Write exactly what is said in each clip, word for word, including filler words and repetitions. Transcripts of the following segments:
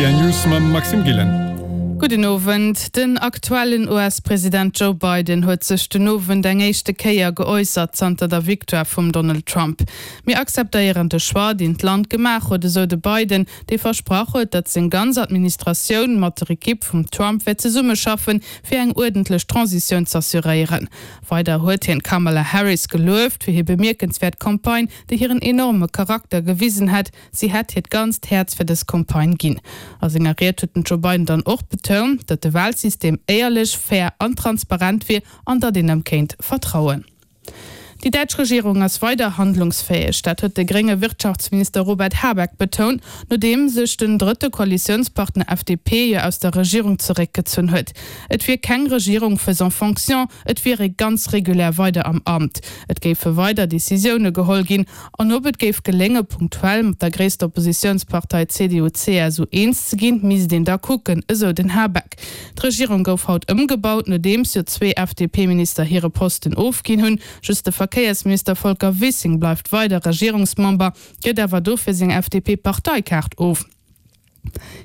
R T L News mam Maxime Gillen. Gudden Owend. Den aktuellen U S-President Joe Biden huet sech den Owend eng éischte Kéier geäussert zanter der Victoire vum Donald Trump. Mir akzeptéieren de Choix, deen d'Land gemaach huet, esou de Biden, dee versprach huet, datt seng ganz Administratioun mat der Ekipp vum Trump wäert zesummeschaffen, fir eng uerdentlech Transitioun z'assuréieren. Weider huet hien d'Kamala Harris gelueft fir hir bemierkenswäert Campagne, déi hiren enorme Charakter gewisen hätt. Si hätt hiert ganzt Häerz fir dës Campagne ginn. A senger Ried huet den Joe Biden dann och betount, datt de Walsystem éierlech, fair an transparent wier an datt een em kéint vertrauen. Déi däitsch Regierung ass weider handlungsfäeg, dat huet de grénge Wirtschaftsminister Robert Habeck betount, nodeem sech den drëtte Koalitiounspartner F D P jo aus der Regierung zeréckgezunn huet. Et wier keng Regierung faisant fonction, et wier ee ganz regulär weider am Amt. Et géife weider Decisioune geholl ginn an ob et géif gelénge punktuell mat der gréisster Oppositiounspartei C D U C S U eens ze ginn, misst een da kucken, esou den Habeck. D'Regierung gouf haut ëmgebaut, nodeems jo zwee F D P-Minister hire Posten ofginn hunn. Just de Verkéiersminister Volker Wissing bleift weider Regierungsmember, gëtt awer dofir seng F D P-Parteikaart of.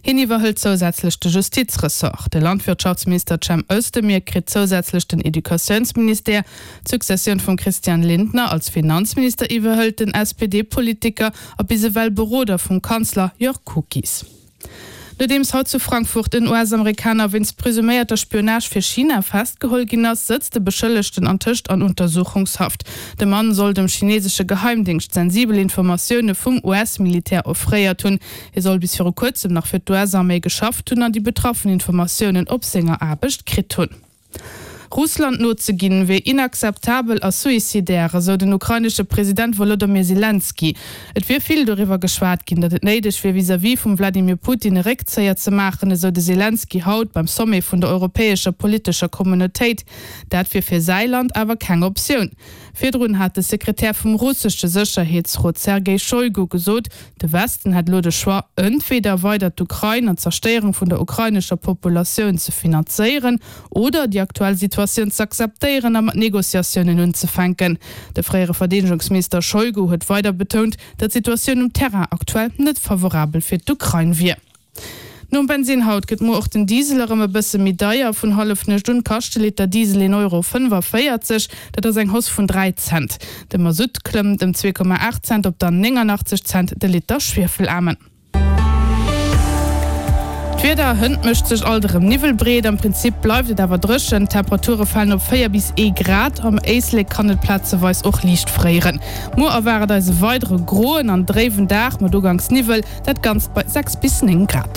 Hien iwwerhëlt zousätzlech de Justizressort. De Landwirtschaftsminister Cem Özdemir kritt zousätzlech den Educatiounsministère. D'Successioun vum Christian Lindner als Finanzminister iwwerhëlt den S P D-Politiker a bis ewell Beroder vum Kanzler Jörg Kukies. Nodeems haut zu Frankfurt en U S-Amerikaner wéinst presuméierter Spionage fir China festgeholl ginn ass, sëtzt de Beschëllegten antëscht an Untersuchungshaft. De Mann soll dem chinesesche Geheimdéngscht sensibel Informatioune vum U S-Militär offréiert hunn. Hie soll bis viru kuerzem nach fir d'U S-Arméi geschafft hunn an déi betraffen Informatiounen op senger Aarbecht kritt hunn. Russland nozeginn, wier inakzeptabel a suicidaire, esou den ukrainesche President Wolodymyr Selenskyj. Et wier vill doriwwer geschwat ginn, datt et néideg wier, vis-à-vis vum Vladimir Putin e Réckzéier ze maachen, esou de Selenskyj haut beim Sommet vun der europäescher politescher Communautéit. Dat wier fir säi Land awer keng Optioun. Virdrun hat de Sekretär vum russesche Sécherheetsrot Sergei Shoigu gesot, de Westen hätt elo de Choix, entweder weider d'Ukrain an d'Zerstéierung vun der ukrainescher Populatioun ze finanzéieren oder déi aktuell Situatioun z'akzeptéieren a mat Negociatiounen unzefänken. De fréiere Verdeedegungsminister Shoigu huet weider betount, datt d'Situatioun um Terrain aktuell net favorabel fir d'Ukrain wier. Nom Bensinn haut gëtt muer och den Diesel erëm e bësse méi deier. Vun Hallefnuecht un kascht de Liter Diesel een Euro fënnefavéierzeg, dat ass eng Hausse vun dräi Cent. De Masutt klëmmt ëm zwee Komma aacht Cent op dann néngannachtzeg Cent de Liter Schwiefelaarmen. D'Wieder, Hënt mécht sech alt erëm Niwwel breet, am Prinzip bleift et awer dréchen. D'Temperature falen op véier bis ee Grad, am Éislek kann et plazeweis och liicht fréieren. Muer erwaart eis e weidere groen an dréiwen Dag mat uganks Niwwel, dat Ganzt bei sechs bis néng Grad.